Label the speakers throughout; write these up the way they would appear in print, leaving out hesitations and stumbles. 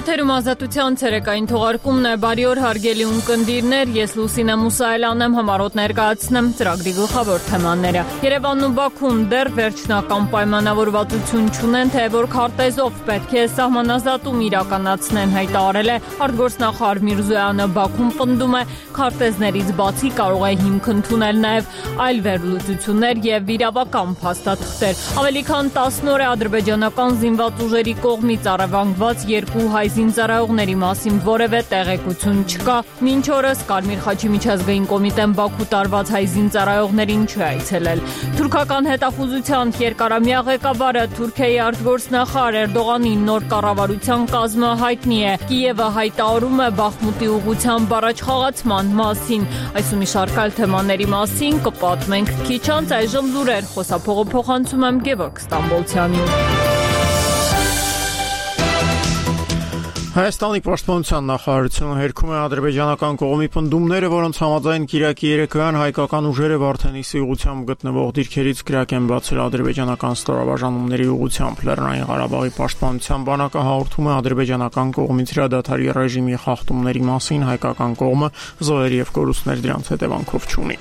Speaker 1: Եթերում ազատության ցերեկային թողարկումն է, բարի օր հարգելի ունկնդիրներ, ես Լուսինե Մուսայելյանն եմ, համառոտ ներկայացնեմ ծրագրի գլխավոր թեմաները։ Երևանն ու Բաքուն դեռ վերջնական պայմանավորվածություն չունեն, թե որ քարտեզով պետք է սահմանազատում իրականացնեն, հայտարարել է արտգործնախարար Միրզոյանը։ Բաքուն պնդում է, քարտեզներից բացի կարող է հիմք ընդունել նաև այլ վերլուծություններ եւ իրավական փաստաթղթեր։ Ավելի քան 10 օր է ադրբեջանական զինված ուժերի կողմից առևանգված երկու հայ զինծառայողների մասին որևէ տեղեկություն չկա։ Մինչ օրս Կարմիր խաչի միջազգային կոմիտեն Բաքու տարված հայ զինծառայողներին չի այցելել։ Թուրքական հետախուզության երկարամյա ղեկավարը Թուրքիայի արտգործնախարար Էրդողանի նոր կառավարության կազմը հայտնի է։ Կիևը հայտարարում է Բախմուտի ուղղությամբ առաջխաղացման մասին։ Այս ու մի շարք այլ թեմաների մասին կպատմենք քիչ անց, այժմ լուրեր, խոսափողը փոխանցում եմ Գևորգ Ստամբոլցյանին։
Speaker 2: Հայաստանի պաշտպանության նախարարությունը հերքում է ադրբեջանական կողմի պնդումները, որոնց համաձայն Կիրակի երեկոյան հայկական ուժերը Վարդենիսի ուղղությամբ գտնվող դիրքերից կրակ են բացել ադրբեջանական ստորաբաժանումների ուղղությամբ։ Լեռնային Ղարաբաղի պաշտպանության բանակը հաղորդում է ադրբեջանական կողմից հրադադարի ռեժիմի խախտումների մասին, հայկական կողմը զոհեր եւ կորուստներ դրանց հետևանքով չունի։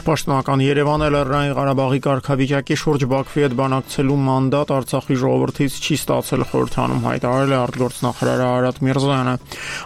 Speaker 2: Պաշտոնական Երևանը Լեռնային Ղարաբաղի կարգավիճակի շուրջ Բաքվի հետ բանակցելու մանդատ Արցախի ժողովրդից չի ստացել, խորհրդանում հայտարարել է արտգործնախարար Արարատ Միրզոյանը։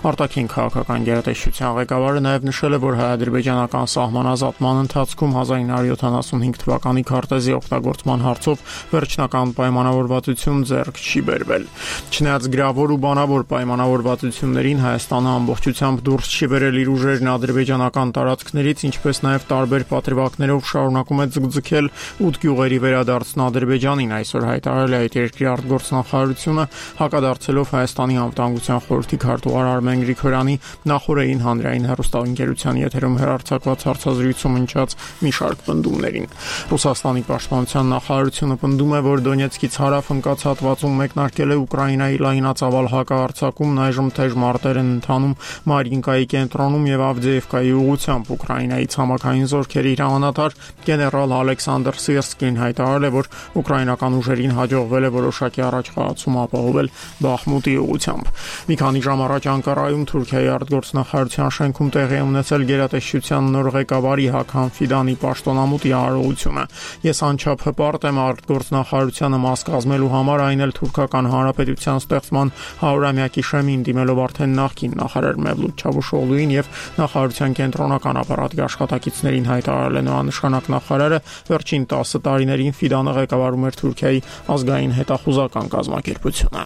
Speaker 2: Արտաքին քաղաքական գերատեսչության ղեկավարը նաև նշել է, որ հայ-ադրբեջանական սահմանազատման ընթացքում 1975 թվականի քարտեզի օգտագործման հարցով վերջնական պայմանավորվածություն ձեռք չի բերվել։ Չնայած գրավոր ու բանավոր պայմանավորվածություններին, Հայաստանը ամբողջությամբ դուրս չի բերել իր ուժերն ադրբեջանական տարածքներից, ինչպես նաև տարբեր պատրվակներով շարունակում է ձգձգել 8 գյուղերի վերադարձն Ադրբեջանին։ Այսօր հայտարարել է այդ երկրի արտգործնախարարությունը, հակադարձելով Հայաստանի անվտանգության խորհրդի քարտուղար Արմեն Գրիգորյանի նախորդին հանրային հեռուստաընկերության եթերում հեռարձակված հարցազրույցում հնչած մի շարք պնդումներին։ Ռուսաստանի պաշտպանության նախարարությունը պնդում է, որ Դոնեցկից հարավ ընկած հատվածում մեկնարկել է Ուկրաինայի լայնածավալ հակահարձակումն, այժմ թեժ մարտեր են ընթանում Մարինկայի կենտրոնում եւ Ավդեևկայի ուղղությամբ։ Ուկրաինայի ցամաքային զորքերի հրամանատար գեներալ Ալեքսանդր Սիրսկին հայտարարել է, որ ուկրաինական ուժերին հաջողվել է որոշակի առաջխաղացում ապահովել Բախմուտի ուղղությամբ։ Մի քանի ժամ առաջ Անկարայում Թուրքիայի արտգործնախարարության շենքում տեղի է ունեցել գերատեսչության նոր ղեկավարի Հաքան Ֆիդանի պաշտոնամուտի արարողությունը։ Ես անչափ հպարտ եմ արտգործնախարարությանը մաս կազմելու համար, այն էլ թուրքական հանրապետության ստեղծման 100-ամյակի շեմին, դիմելով արդեն նախկին նախարար Մևլութ Չավուշօղլուին եւ նախարարության կենտրոնական ապարատի աշխատակիցներին, հայտարարել է նորանշանակ նախարարը։ Վերջին 10 տարիներին Ֆիդանը ղեկավարում էր Թուրքիայի ազգային հետախուզական կազմակերպությունը։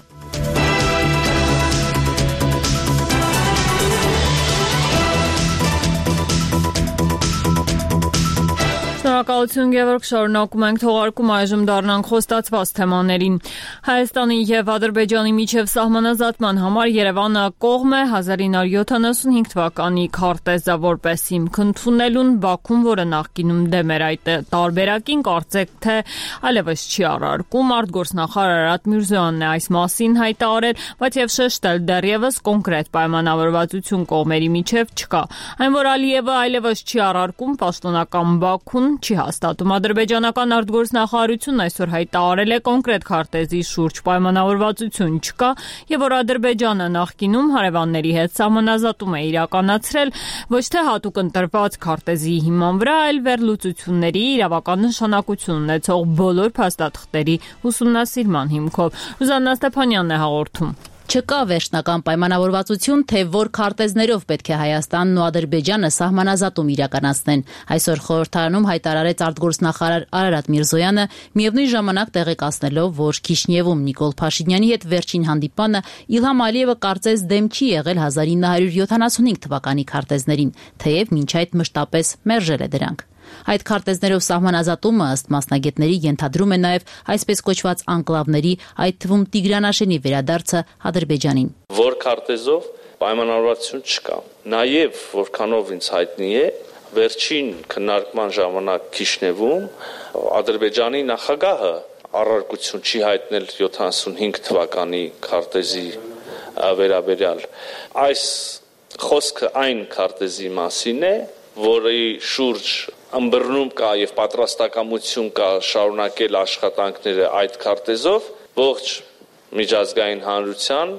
Speaker 1: Շնորհակալություն Գևորգ, շարունակում ենք թողարկում, այժմ դառնանք խոստացված թեմաներին։ Հայաստանի եւ Ադրբեջանի միջև սահմանազատման համար Երևանը կողմ է 1975 թվականի քարտեզը որպես հիմք ընդունելուն, Բաքուն, որը նախկինում դեմ էր այդ տարբերակին, կարծեք թե այլևս չի առարկում։ Արտգործնախարար Արարատ Միրզոյանն է այս մասին հայտարարել, բայց եւ շեշտել դեռևս կոնկրետ պայմանավորվածություն կողմերի միջև չկա։ Այն, որ Ալիևը այլևս չի առարկում, պաշտոնական Բաքուն չի հաստատում։ Ադրբեջանական արտգործնախարարությունն այսօր հայտարարել է կոնկրետ քարտեզի շուրջ պայմանավորվածություն չկա եւ որ Ադրբեջանը նախկինում հարևանների հետ սահմանազատում է իրականացրել ոչ թե հատուկ ընտրված քարտեզի հիման վրա, այլ վերլուծությունների իրավական նշանակություն ունեցող բոլոր փաստաթղթերի ուսումնասիրման հիմքով։ Ռուզաննա Ստեփանյանն է հաղորդում։
Speaker 3: Չկա վերջնական պայմանավորվածություն, թե որ քարտեզներով պետք է Հայաստանն ու Ադրբեջանը սահմանազատում իրականացնեն։ Այսօր խորհրդարանում հայտարարեց արտգործնախարար Արարատ Միրզոյանը, միևնույն ժամանակ տեղեկացնելով, որ Քիշնևում Նիկոլ Փաշինյանի հետ վերջին հանդիպանը Իլհամ Ալիևը կարծես դեմ չի եղել 1975 թվականի քարտեզներին, թեև մինչ այդ մշտապես մերժել է դրանք։ Այդ քարտեզներով սահմանազատումը ըստ մասնագետների ենթադրում է նաև այսպես կոչված անկլավների, այդ թվում Տիգրանաշենի վերադարձը Ադրբեջանին։
Speaker 4: Որ քարտեզով պայմանավորվածություն չկա։ Նաև որքանով ինձ հայտնի է, վերջին քննարկման ժամանակ Քիշնևում Ադրբեջանի նախագահը առարկություն չի հայտնել 75 թվականի քարտեզի վերաբերյալ։ Այս խոսքը այն քարտեզի մասին է, որի շուրջ ըմբռնում կա եւ պատրաստակամություն կա շարունակել աշխատանքները այդ քարտեզով, ողջ միջազգային հանրության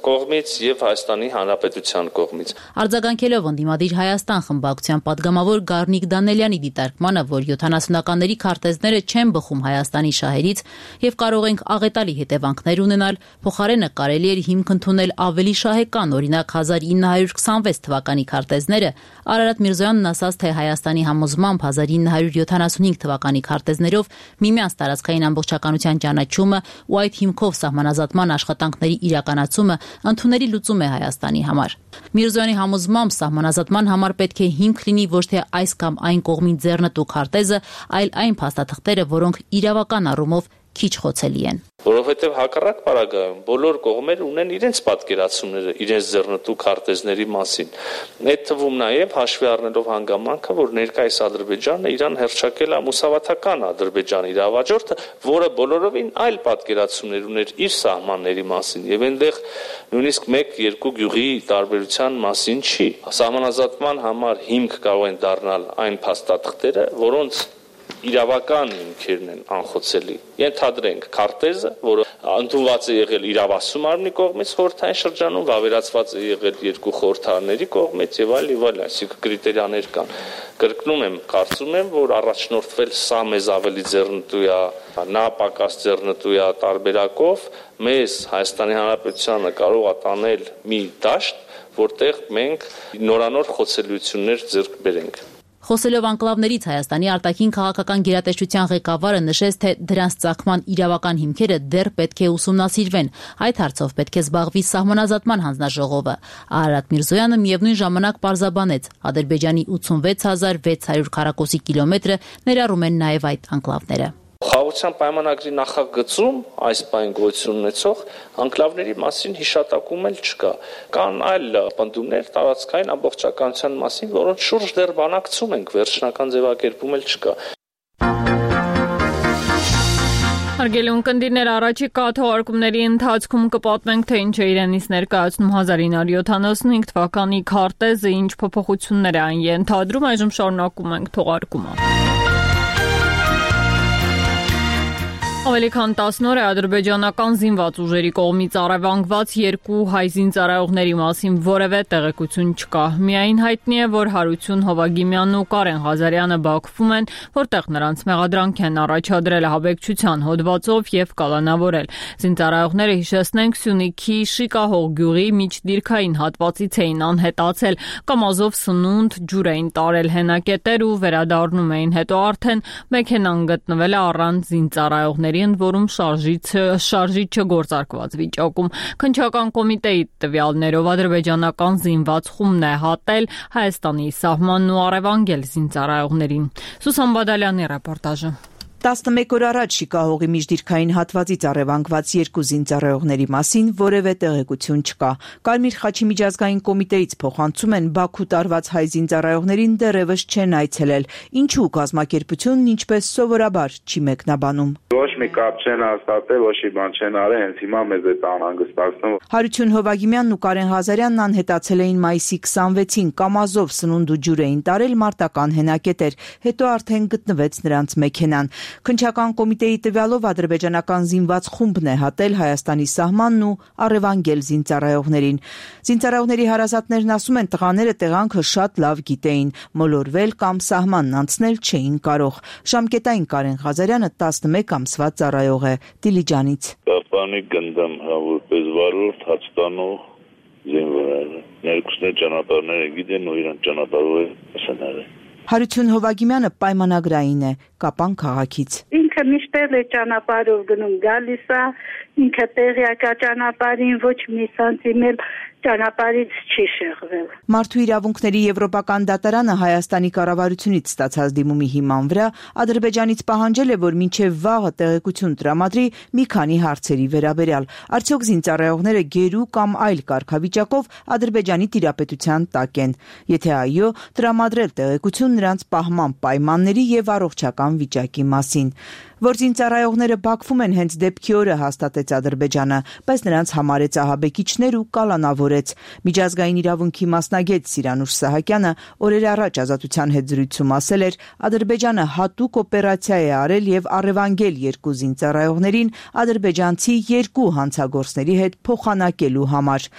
Speaker 4: կողմից եւ Հայաստանի Հանրապետության կողմից։
Speaker 3: Արձագանքելով ընդդիմադիր Հայաստան խմբակցության падգամավոր Գառնիկ Դանելյանի դիտարկմանը, որ 70-ականների քարտեզները չեն բխում Հայաստանի շահերից եւ կարող ենք աղետալի հետևանքներ ունենալ, փոխարենը կարելի էր հիմք ընդունել ավելի շահեկան, օրինակ 1926 թվականի քարտեզները, Արարատ Միրզոյանն ասաց, թե Հայաստանի համոզմամբ 1975 թվականի քարտեզներով միմյանց տարածքային ամբողջականության ճանաչումը ու այդ հիմքով սահմանազատման աշխատանքների իրականացումը ընդունելի լուծում է Հայաստանի համար։ Միրզոյանի համոզմամբ սահմանազատման համար պետք է հիմք լինի ոչ թե այս կամ այն կողմի ձեռնտու քարտեզը, այլ այն փաստաթղթերը, որոնք իրավական առումով քիչ խոցելի են։
Speaker 4: Որովհետև հակառակ պարագայում բոլոր կողմեր ունեն իրենց պատկերացումները իրենց ձեռնտու քարտեզների մասին։ Այդ թվում նաև հաշվի առնելով հանգամանքը, որ ներկայիս Ադրբեջանը իրան հռչակել է մուսավաթական Ադրբեջանի իրավաճորտը, որը բոլորովին այլ պատկերացումներ ուներ իր սահմանների մասին, եւ այնտեղ նույնիսկ 1-2 գյուղի տարբերության մասին չի։ Սահմանազատման համար հիմք կարող են դառնալ այն փաստաթղթերը, որոնց իրավական հիմքերն են անխոցելի։ Ենթադրենք քարտեզը, որը ընդունված է եղել իրավասում արմնի կողմից խորհրդային շրջանում, վավերացված է եղել երկու խորհրդարանների կողմից եւ այլ, այսինքն կրիտերիաներ կան։ Կրկնում եմ, կարծում եմ, որ առաջնորդվել սա մեզ ավելի ձեռնտու է, նա պակաս ձեռնտու է տարբերակով, մեզ Հայաստանի Հանրապետությանը կարող է տանել մի դաշտ, որտեղ մենք նորանոր խոցելիություններ ձեռք բերենք։
Speaker 3: Խոսելով անկլավներից Հայաստանի արտաքին քաղաքական գերատեսչության ղեկավարը նշեց, թե դրանց ծագման իրավական հիմքերը դեռ պետք է ուսումնասիրվեն։ Այդ հարցով պետք է զբաղվի սահմանազատման հանձնաժողովը։ Արարատ Միրզոյանը միևնույն ժամանակ պարզաբանեց, Ադրբեջանի 86,600 քառակուսի կիլոմետրը ներառում են նաև այդ անկլավները։
Speaker 4: Խաղաղության պայմանագրի նախագծում այս բան գոյություն ունեցող անկլավների մասին հիշատակում էլ չկա։ Կան այլ պնդումներ տարածքային ամբողջականության մասին, որոնց շուրջ դեռ բանակցում ենք, վերջնական ձևակերպում էլ չկա։
Speaker 1: Հարգելի ունկնդիրներ, առաջիկա թողարկումների ընթացքում կպատմենք, թե ինչ է իրենից ներկայացնում 1975 թվականի քարտեզը, ինչ փոփոխություններ է այն ենթադրում, այժմ շարունակում ենք թողարկումը։ Ավելի քան 10 օր է ադրբեջանական զինված ուժերի կողմից առևանգված 2 հայ զինծառայողների մասին որևէ տեղեկություն չկա։ Միայն հայտնի է, որ Հարություն Հովագիմյանն ու Կարեն Ղազարյանը Բաքվում են, որտեղ նրանց մեղադրանք են առաջադրել ահաբեկչության հոդվածով եւ կալանավորել։ Զինծառայողները, հիշեցնենք, Սյունիքի Շիկահող գյուղի միջդիրքային հատվածից էին անհետացել, կամազով սնունդ ջուր էին տարել հենակետեր ու վերադառնում էին, հետո արդեն մեքենան գտնվել է առանց զինծառայողների, որում շարժիչը գործարկված վիճակում։ Քննչական կոմիտեի տվյալներով ադրբեջանական զինված խումբն է հատել Հայաստանի սահմանն ու առևանգել զինծառայողներին։ Սուսան Բադալյանի ռեպորտաժը։
Speaker 5: 11 օր առաջ Շիկահողի միջդիրքային հատվածից առևանգված 2 զինծառայողների մասին որևէ տեղեկություն չկա։ Կարմիր խաչի միջազգային կոմիտեից փոխանցում են Բաքու տարված հայ զինծառայողներին դեռևս չեն այցելել, ինչու կազմակերպությունն ինչպես սովորաբար չի մեկնաբանում։
Speaker 6: Ոչ մի կապ չեն հաստատել, ոչ մի բան չեն արել, հենց հիմա մեզ է անհանգստացնում։
Speaker 5: Հարություն Հովագիմյանն ու Կարեն Ղազարյանն անհետացել էին մայիսի 26-ին, կամազով սնունդ ու ջուր էին տարել մարտական հենակետեր, հետո արդեն գտնվեց նրանց մեքենան։ Քննչական կոմիտեի տվյալով ադրբեջանական զինված խումբն է հատել Հայաստանի սահմանն ու առևանգել զինծառայողներին։ Զինծառայողների հարազատներն ասում են, տղաները տեղանքը շատ լավ գիտեին, մոլորվել կամ սահմանն անցնել չէին կարող։ Ժամկետային Կարեն Ղազարյանը 11 ամսվա ծառայող է Դիլիջանից։
Speaker 7: Պապանի գնդամ որպես վարորդ հացտանող զինվորը։ Ներկուսներ ճանապարհները գիտեն ու իրան ճանապարհով ասանել։
Speaker 5: Հարություն Հովագիմյանը պայմանագրային է Կապան քաղաքից։
Speaker 8: Ինքը միշտ է ճանապարհով գնում գալիս է, ինքը տեղյակ է ճանապարհին, ոչ մի սանտիմետր ճանապարհից չի շեղվել։
Speaker 5: Մարդու իրավունքների եվրոպական դատարանը Հայաստանի կառավարությունից ստացած դիմումի հիման վրա Ադրբեջանից պահանջել է, որ մինչև վաղը տեղեկություն տրամադրի մի քանի հարցերի վերաբերյալ։ Արդյոք զինծառայողները գերու կամ այլ կարգավիճակով Ադրբեջանի տիրապետության տակ են։ Եթե այո, տրամադրել տեղեկություն նրանց պահման պայմանների եւ առողջական վիճակի մասին։ Որ զինծառայողները Բաքվում են հենց դեպքի օրը, հաստատեց Ադրբեջանը, բայց նրանց համարեց ահաբեկիչներ ու կալանավորեց։ Միջազգային իրավունքի մասնագետ Սիրանուշ Սահակյանը օրեր առաջ Ազատության հետ զրույցում ասել էր, Ադրբեջանը հատուկ օպերացիա է արել եւ առևանգել երկու զինծառայողներին ադրբեջանցի երկու հանցագործների հետ փոխանակելու համար։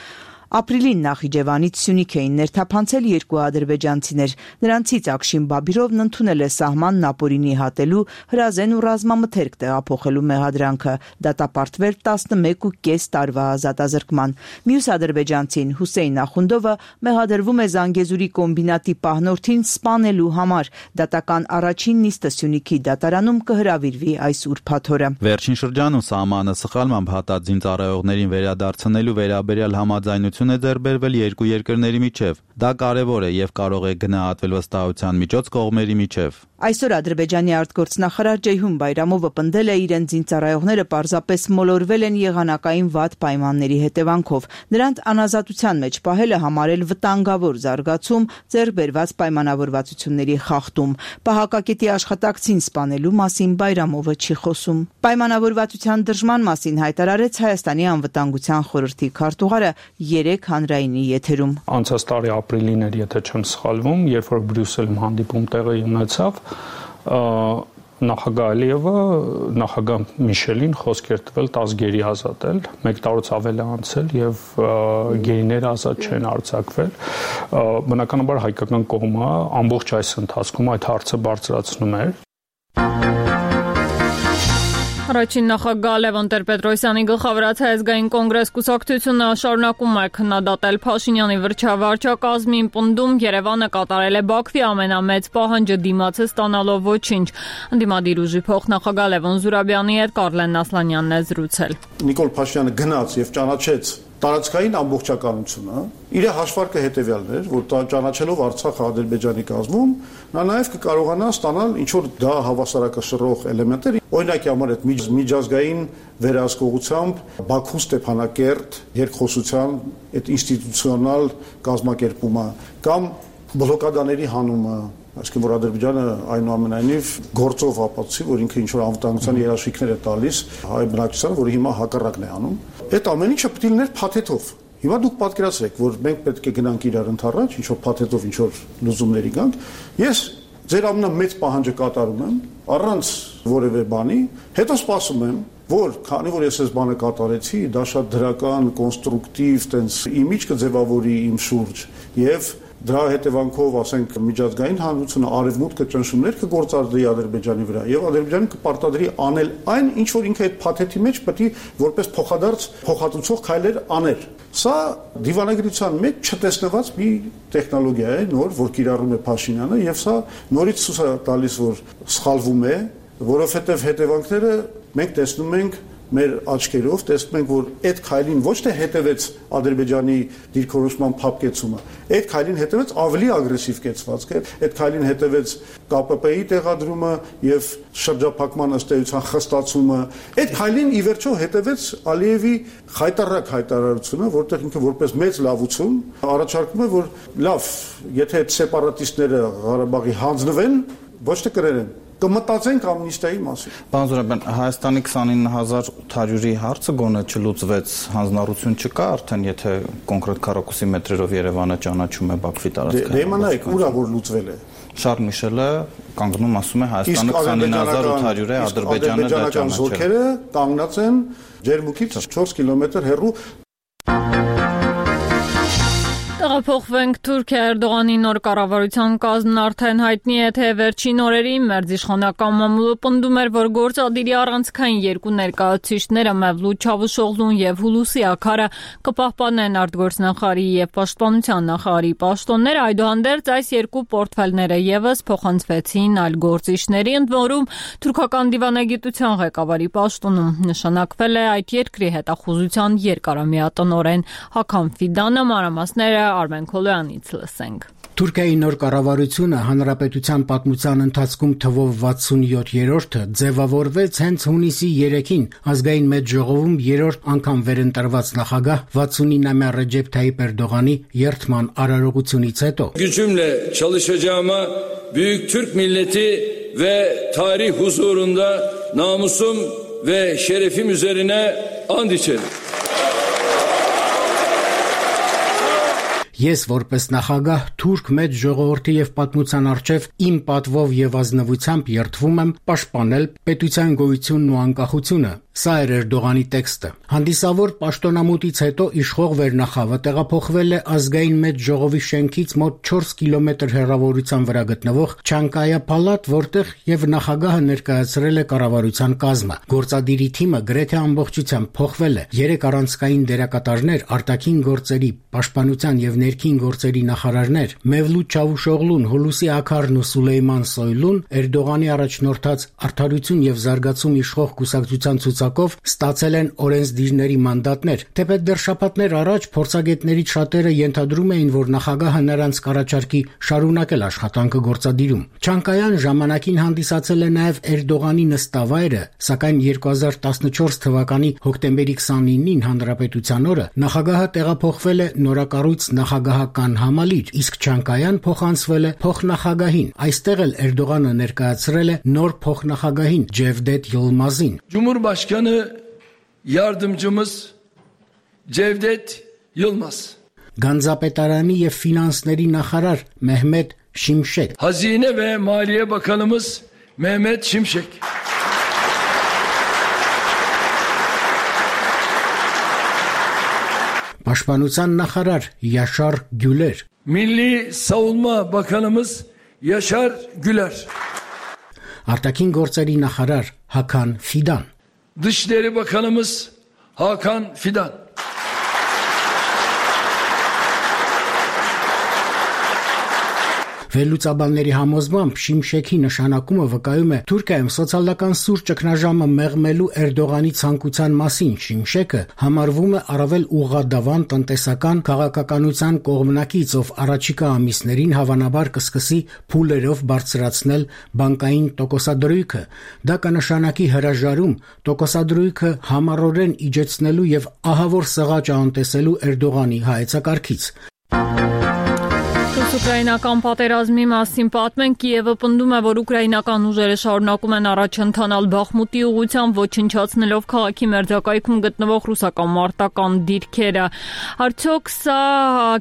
Speaker 5: Ապրիլին Նախիջևանից Սյունիք էին ներթափանցել երկու ադրբեջանցիներ։ Նրանցից Ակշին Բաբիրովն ընդունել է սահմանն ապօրինի հատելու, հրազեն ու ռազմամթերք տեղափոխելու մեղադրանքը, դատապարտվել 11.5 տարվա ազատազրկման։ Մյուս ադրբեջանցին Հուսեյն Ախունդովը մեղադրվում է Զանգեզուրի կոմբինատի պահնորդին սպանելու համար։ Դատական առաջին նիստը Սյունիքի դատարանում կհրավիրվի այս ուրբաթ օրը։
Speaker 9: Վերջին շրջանում սահմանը սխալմամբ հատած զինծառայողներին վերադարձնելու վերաբերյալ համաձայնություն է ձեռք բերվել երկու երկրների միջև։ Դա կարևոր է եւ կարող է գնահատվել վստահության միջոց կողմերի միջև։
Speaker 5: Այսօր Ադրբեջանի արտգործնախարար Ջեյհուն Բայրամովը պնդել է իրենց զինծառայողները պարզապես մոլորվել են եղանակային վատ պայմանների հետևանքով։ Նրանց անազատության մեջ պահելը համարել վտանգավոր զարգացում, ձեռք բերված պայմանավորվածությունների խախտում։ Պահակակետի աշխատակցին սպանելու մասին Բայրամովը չի խոսում։ Պայմանավորվածության դրժման մասին հայտարարեց Հայաստանի անվտանգության խորհրդի քարտուղարը 3 հանրայինի եթերում։
Speaker 10: Անցած տարի ապրիլին էր, եթե չեմ սխալվում, երբ որ Բրյուսելում հանդիպում տեղի ունեցավ, նախագահ Ալիևը նախագահ Միշելին խոսք էր տվել 10 գերի ազատել, 1 տարուց ավել է անցել եւ գերիները ազատ չեն արձակվել։ Բնականաբար հայկական կողմը ամբողջ այս ընթացքում այդ հարցը բարձրացնում էր։
Speaker 1: Առաջին նախագահ Լևոն Տեր-Պետրոսյանի գլխավորած Հայազգային կոնգրես կուսակցությունը շարունակում է քննադատել Փաշինյանի վարչակազմին, պնդում Երևանը կատարել է Բաքվի ամենամեծ պահանջը դիմացը ստանալով ոչինչ։ Ընդդիմադիր ուժի փոխնախագահ Լևոն Զուրաբյանի հետ Կարլեն Ասլանյանն է զրուցել։
Speaker 11: Նիկոլ Փաշինյանը գնաց եւ ճանաչեց տարածքային ամբողջականությունը, իր հաշվարկը հետևյալն էր, որ ճանաչելով Արցախը Ադրբեջանի կազմում, նա նաև կկարողանա ստանալ ինչ որ դա հավասարակշռող էլեմենտներ, օրինակի համար այդ միջազգային վերահսկողությամբ Բաքու Ստեփանակերտ երկխոսության այդ ինստիտուցիոնալ կազմակերպումը կամ բլոկադաների հանումը, այսինքն որ Ադրբեջանը այնուամենայնիվ գործով ապացուցի, որ ինքը ինչ որ անվտանգության երաշխիքներ է տալիս հայ բնակչությանը, որը հիմա հակառակն է անում։ Այդ ամեն ինչը պետք է լիներ փաթեթով։ Հիմա դուք պատկերացրեք, որ մենք պետք է գնանք իրար ընդառաջ, ինչ որ փաթեթով, ինչ որ լուծումների գանք։ Ես ձեր ամենամեծ պահանջը կատարում եմ առանց որևէ բանի, հետո սպասում եմ, որ քանի որ ես այս բանը կատարեցի, դա շատ դրական, կոնստրուկտիվ, տենց իմիջ կձևավորի իմ շուրջ եւ դրա հետևանքով, ասենք, միջազգային հանրությունը արևմուտքը ճնշումներ կգործադրի Ադրբեջանի վրա եւ Ադրբեջանը կպարտադրի անել այն, ինչ որ ինքը այդ փաթեթի մեջ պետք է որպես փոխադարձ փոխհատուցող քայլեր աներ։ Սա դիվանագիտության մեջ չտեսնված մի տեխնոլոգիա է, նոր, որ կիրառում է Փաշինյանը եւ սա նորից ցույց է տալիս, որ սխալվում է, որովհետեւ հետևանքները մենք տեսնում ենք մեր աչքերով, տեսնում ենք, որ այդ քայլին ոչ թե հետևեց Ադրբեջանի դիրքորոշման փափկեցումը, այդ քայլին հետևեց ավելի ագրեսիվ կեցվածքը, այդ քայլին հետևեց ԿՊՊ-ի տեղադրումը եւ շրջափակման ըստ էության խստացումը, այդ քայլին ի վերջո հետևեց Ալիևի խայտարակ հայտարարությունը, որտեղ ինքը որպես մեծ լավություն առաջարկում է, որ լավ, եթե այդ սեպարատիստները Ղարաբաղի հանձնվեն, ոչ թե կրեն կմտածենք ամնիստիայի մասին։
Speaker 9: Պարոն Զուրաբյան, Հայաստանի 29800-ի հարցը գոնե չլուծվեց, հանձնառություն չկա արդեն, եթե կոնկրետ քառակուսի մետրերով Երևանը ճանաչում է Բաքվի տարածքը։
Speaker 11: Դե իմանայք, ուրա որ լուծվել է։
Speaker 9: Շարլ Միշելը կանգնում ասում է Հայաստանը 29800 է, Ադրբեջանը դա ճանաչել։
Speaker 11: Զորքերը կանգնած են Ջերմուկից 4 կիլոմետր հեռու։
Speaker 1: Տեղափոխվենք Թուրքիա Էրդողանի նոր կառավարության կազմն արդեն հայտնի է, թե վերջին օրերին մեր իշխանական մամուլը պնդում էր, որ գործադիրի առանցքային երկու ներկայացուցիչները Մևլութ Չավուշօղլուն եւ Հուլուսի Աքարը կպահպանեն արտգործնախարարի եւ պաշտպանության նախարարի պաշտոնները, այդուհանդերձ այս երկու պորտֆելները եւս փոխանցվեցին այլ գործիչների, ընդ որում թուրքական դիվանագիտության ղեկավարի պաշտոնում նշանակվել է այդ երկրի հետախուզության երկարամյա տնօրեն Հական Ֆիդանը, մանրամասները Արմեն Քոլոյանից լսենք։
Speaker 12: Թուրքիայի նոր կառավարությունը հանրապետության պատմության ընթացքում թվով 67-րդը ձևավորվեց հենց հունիսի 3-ին ազգային մեծ ժողովում երրորդ անգամ վերընտրված նախագահ 69-ամյա Ռեջեփ Թայիպ Էրդողանի երթման արարողությունից հետո։
Speaker 13: Gücümle çalışacağıma büyük Türk milleti ve tarih huzurunda namusum ve şerefim üzerine and içerim.
Speaker 12: Ես որպես նախագահ թուրք մեծ ժողովրդի եւ պատմության արչեւ իմ պատվով եւ ազնվությամբ երդվում եմ պաշտպանել պետության գոյությունն ու անկախությունը։ Սա էր Էրդողանի տեքստը։ Հանդիսավոր պաշտոնամուտից հետո իշխող վերնախավը տեղափոխվել է ազգային մեծ ժողովի շենքից մոտ 4 կիլոմետր հեռավորության վրա գտնվող Չանկայա պալատ, որտեղ եւ նախագահը ներկայացրել է կառավարության կազմը։ Գործադիրի թիմը գրեթե ամբողջությամբ փոխվել է։ 3 առանցքային դերակատարներ, արտաքին գործերի, պաշտպանության եւ ներքին գործերի նախարարներ Մևլութ Չավուշօղլուն, Հուլուսի Աքարն ու Սուլեյման Սոյլուն Էրդողանի առաջնորդած Արդարություն եւ զարգացում իշխող կուսակցության ցուցակով ստացել են օրենսդիրների մանդատներ։ Թեպետ դեռ շաբաթներ առաջ փորձագետներից շատերը ենթադրում էին, որ նախագահը նրանց կառաջարկի շարունակել աշխատանքը գործադիրում։ Չանկայան ժամանակին հանդիսացել է նաեւ Էրդողանի նստավայրը, սակայն 2014 թվականի հոկտեմբերի 29-ին Հանրապետության օրը նախագահը տեղափոխվել է նորակառույց նախագահական համալիր, իսկ Չանկայան փոխանցվել է փոխնախագահին։ Այստեղ էլ Էրդողանը ներկայացրել է նոր փոխնախագահին Cevdet Yılmaz'ին։
Speaker 13: Cumhurbaşkanı yardımcımız Cevdet Yılmaz.
Speaker 12: Գանձապետարանի եւ ֆինանսների նախարար Mehmet Şimşek.
Speaker 13: Hazine ve Maliye Bakanımız Mehmet Şimşek.
Speaker 12: Պաշտպանության նախարար Yaşar Güler.
Speaker 13: Milli Savunma Bakanımız Yaşar Güler.
Speaker 12: Արտաքին գործերի նախարար Hakan Fidan.
Speaker 13: Dışişleri Bakanımız Hakan Fidan.
Speaker 12: Վերլուծաբանների համոզմամբ Շիմշեքի նշանակումը վկայում է Թուրքիայում սոցիալական սուր ճգնաժամը մեղմելու Էրդողանի ցանկության մասին։ Շիմշեկը համարվում է առավել ուղղադավան տնտեսական քաղաքականության կողմնակից, ով առաջիկա ամիսներին հավանաբար կսկսի փուլերով բարձրացնել բանկային տոկոսադրույքը։ Դա կնշանակի հրաժարում տոկոսադրույքը համառորեն իջեցնելու եւ ահավոր սղաճ անտեսելու Էրդողանի հայեցակարգից։
Speaker 1: Ուկրաինական պատերազմի մասին պատմեն, Կիևը պնդում է, որ ուկրաինական ուժերը շարունակում են առաջ ընթանալ Բախմուտի ուղղությամբ, ոչնչացնելով քաղաքի մերձակայքում գտնվող ռուսական մարտական դիրքերը։ Արդյոք սա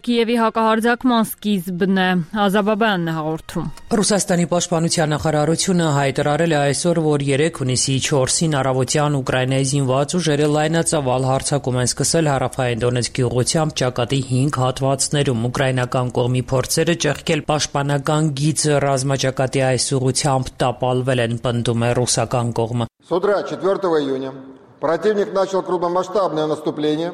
Speaker 1: Կիևի հակահարձակման սկիզբն է։ Ազաբաբյանն է հաղորդում։
Speaker 14: Ռուսաստանի պաշտպանության նախարարությունը հայտարարել է այսօր, որ 3 հունիսի 4-ին առավոտյան Ուկրաինայի զինված ուժերը լայնածավալ հարձակում են սկսել հարավային Դոնեցկի ուղղությամբ ճակատի 5 հատվածներում։ Ուկրաինական կողմի փորձերը ճեղքել պաշտպանական գիծը ռազմաճակատի այս ուղղությամբ տապալվել են, պնդում է ռուսական կողմը։
Speaker 15: С утра 4 июня противник начал крупномасштабное наступление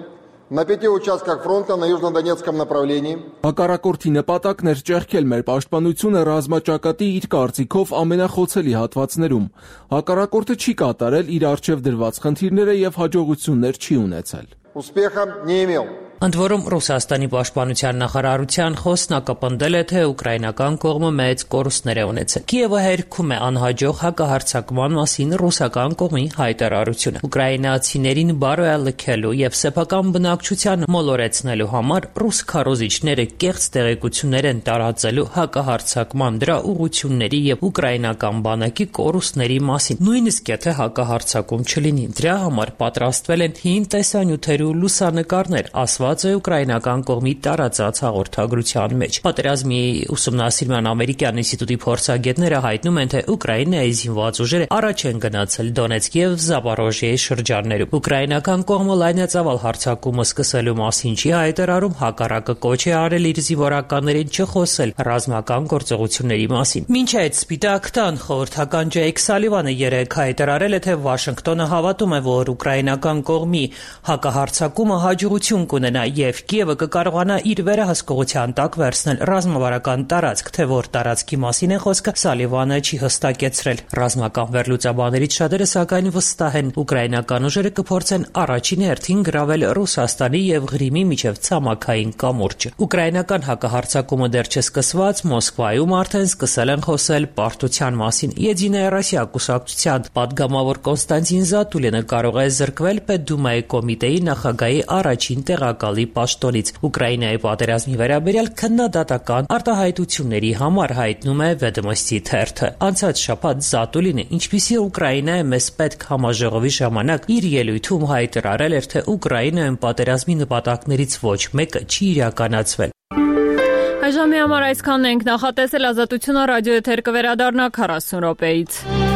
Speaker 15: на 5 участках фронта на южнодонецком направлении.
Speaker 16: Հակառակորդի նպատակն էր ճեղքել մեր պաշտպանությունը ռազմաճակատի իր կարծիքով ամենախոցելի հատվածներում։ Հակառակորդը չի կատարել իր առջև դրված խնդիրները եւ հաջողություններ չի ունեցել։
Speaker 15: Успеха не имел.
Speaker 14: Ընդ որում Ռուսաստանի պաշտպանության նախարարության խոսնակը պնդել է, թե ուկրաինական կողմը մեծ կորուստներ է ունեցել։ Կիևը հերքում է անհաջող հակահարձակման մասին ռուսական կողմի հայտարարությունը։ Ուկրաինացիներին բարոյալքելու եւ սեփական բնակչության մոլորեցնելու համար ռուս քարոզիչները կեղծ տեղեկություններ են տարածելու հակահարձակման դրա ուղղությունների եւ ուկրաինական բանակի կորուստների մասին։ Նույնիսկ եթե հակահարձակում չլինի, դրա համար պատրաստվել են հին տեսանյութեր ու լուսանկարներ, ասված է ուկրաինական կողմի տարածած հաղորդագրության մեջ։ Պատերազմի ուսումնասիրման ամերիկյան ինստիտուտի փորձագետները հայտնում են, թե Ուկրաինայի զինված ուժերը առաջ են գնացել Դոնեցկ եւ Զապորոժիեի շրջաններում։ Ուկրաինական կողմը լայնածավալ հարձակումը սկսելու մասին չի հայտարարում, հակառակը կոչ է արել իր զինվորականներին չխոսել ռազմական գործողությունների մասին։ Մինչ այդ Սպիտակ տան խորհրդական Ջեյք Սալիվանը երեկ հայտարարել է, թե Վաշինգտոնը հավատում է, որ ուկրաինական կողմի հակահարձակումը հաջողություն կունենա եւ Կիևը կկարողանա իր վերահսկողության տակ վերցնել ռազմավարական տարածք, թե որ տարածքի մասին է խոսքը, Սալիվանը չի հստակեցրել։ Ռազմական վերլուծաբաններից շատերը սակայն վստահ են, ուկրաինական ուժերը կփորձեն առաջին հերթին գրավել Ռուսաստանի եւ Ղրիմի միջև ցամաքային կամուրջը։ Ուկրաինական հակահարձակումը դեռ չսկսված, Մոսկվայում արդեն սկսել են խոսել պարտության մասին։ Եդինայա Ռոսիա կուսակցության падգամավոր Կոնստանտին Զատուլինը կարող է զրկվել Պետդումայի կոմիտեի նախագահի առաջին տեղակալ նախագահի պաշտոնից։ Ուկրաինայի պատերազմի վերաբերյալ քննադատական արտահայտությունների համար հայտնում է Վեդոմոստի թերթը։ Անցած շաբաթ Զատուլինը, ինչպիսի Ուկրաինա է մեզ պետք համաժողովի ժամանակ իր ելույթում հայտարարել էր, թե Ուկրաինայում պատերազմի նպատակներից ոչ մեկը չի իրականացվել։
Speaker 1: Այժմի համար այսքանն ենք նախատեսել Ազատությունը ռադիոեթեր կվերադառնա 40 րոպեից։